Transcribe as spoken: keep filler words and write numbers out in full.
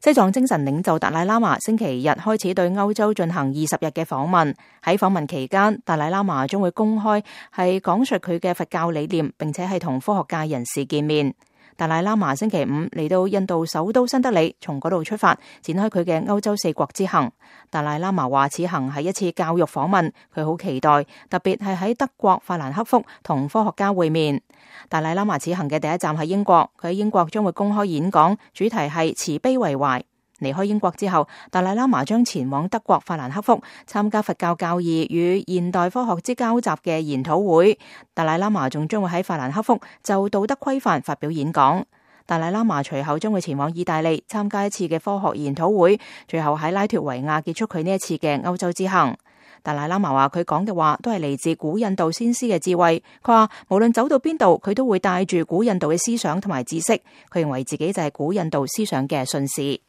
西藏精神領袖達賴喇嘛星期日開始對歐洲進行二十日嘅訪問。喺訪問期間，達賴喇嘛將會公開係講述佢嘅佛教理念，並且係同科學界人士見面。達賴喇嘛星期五嚟到印度首都新德里，從嗰度出發，展開佢嘅歐洲四國之行。達賴喇嘛話此行係一次教育訪問，佢好期待，特別係喺德國法蘭克福同科學家會面。達賴喇嘛此行嘅第一站係英國，佢喺英國將會公開演講，主題係慈悲為懷。離開英國之後，達賴喇嘛將前往德國法蘭克福參加佛教教義與現代科學之交集嘅研討會。達賴喇嘛仲將會喺法蘭克福就道德規範發表演講。達賴喇嘛隨後將會前往意大利參加一次嘅科學研討會，最後喺拉脫維亞結束佢呢一次嘅歐洲之行。達賴喇嘛話佢講嘅話都係嚟自古印度先師嘅智慧，佢話無論走到邊度，佢都會帶住古印度嘅思想同埋知識，佢認為自己就係古印度思想嘅信使。